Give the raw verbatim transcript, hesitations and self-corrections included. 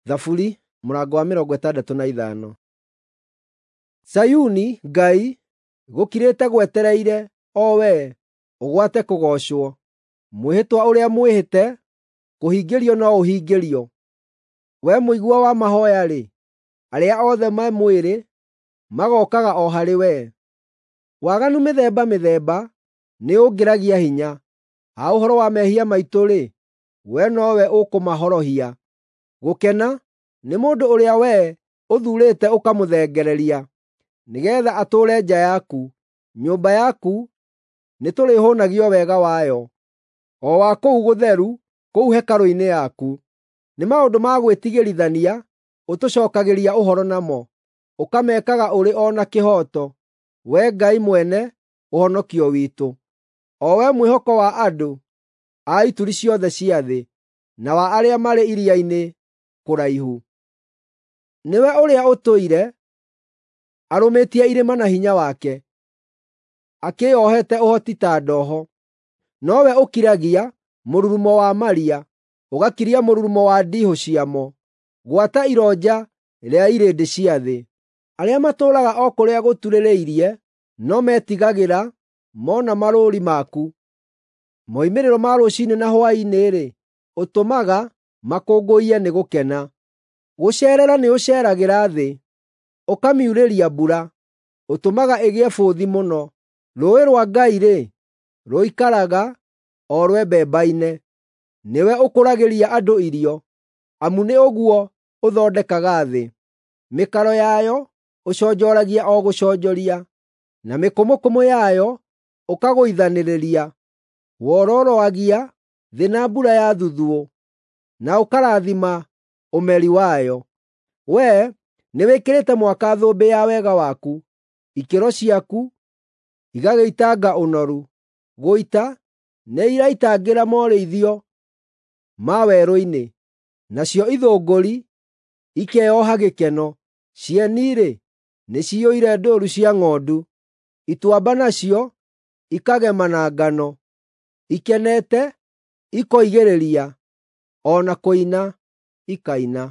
Thaburi mũrango wa mĩrongo ĩtandatũ na ithano. Zayuni, Ngai, gũkirĩte gwetereire, o wee, ũgwate kũgoocwo. Mwĩhĩtwa ũrĩa mwĩhĩte, kũhingĩrio no ũhingĩrio. Wee mũigua wa mahooya-rĩ, arĩa othe me mwĩrĩ magookaga o harĩ wee. Waganu mĩthemba mĩthemba nĩũngĩragia hinya. Ha ũhoro wa mehia maitũ-rĩ, wee nowe ũkũmahorohia. Gũkena nĩ mũndũ ũrĩa wee ũthuurĩte ũkamũthengereria, nĩgeetha atũũre nja yaku. Nyũmba yaku nĩtũrĩhũũnagio wega wayo, o wa kũu gũtheru, kũu hekarũ-inĩ yaku. Nĩ maũndũ ma gwĩtigĩrithania ũtũcookagĩria ũhoro namo, ũkamekaga ũrĩ o na kĩhooto, Wee Ngai mwene ũhonokio witũ, o Wee mwĩhoko wa andũ a ituri ciothe cia thĩ, na wa arĩa marĩ iria-inĩ kũraihu. Nĩwe ũrĩa ũtũire arũmĩtie irĩma na hinya wake, akĩĩohete ũhoti ta ndoho. Nowe ũkiragia mũrurumo wa maria, ũgakiria mũrurumo wa ndiihũ ciamo, gwata ironja rĩa irĩndĩ cia thĩ. Arĩa matũũraga o kũrĩa gũturĩrĩirie no metigagĩra mona marũũri maku. Moimĩrĩro ma rũciinĩ na hwaĩ-inĩ-rĩ, ũtũmaga makũngũiye nĩ gũkena. Gũceerera nĩũceeragĩra thĩ, ũkamiurĩria mbura, ũtũmaga ĩgĩe bũthi mũno. Rũũĩ rwa Ngai-rĩ, rũikaraga o rwembembaine. Nĩwe ũkũragĩria andũ irio, amu nĩ ũguo ũthondekaga thĩ. Mĩkaro yayo ũconjoragia o gũconjoria, na mĩkũmũkũmũ yayo ũkagũithanĩrĩria. Wororoagia thĩ na mbura ya thuthuũ, na ũkarathima ũmeri wayo. Wee nĩwĩkĩrĩte mwaka thũmbĩ ya wega waku, ikĩro ciaku igagĩitanga ũnoru. Gũita nĩiraitangĩra morĩithio ma werũ-inĩ, nacio ithũngũri ikeoha gĩkeno. Cieni-rĩ, nĩciyũire ndũũru cia ng'ondu, ituamba nacio ikagema na ngano, ikenete ikoigĩrĩria, o na kũina ikaina.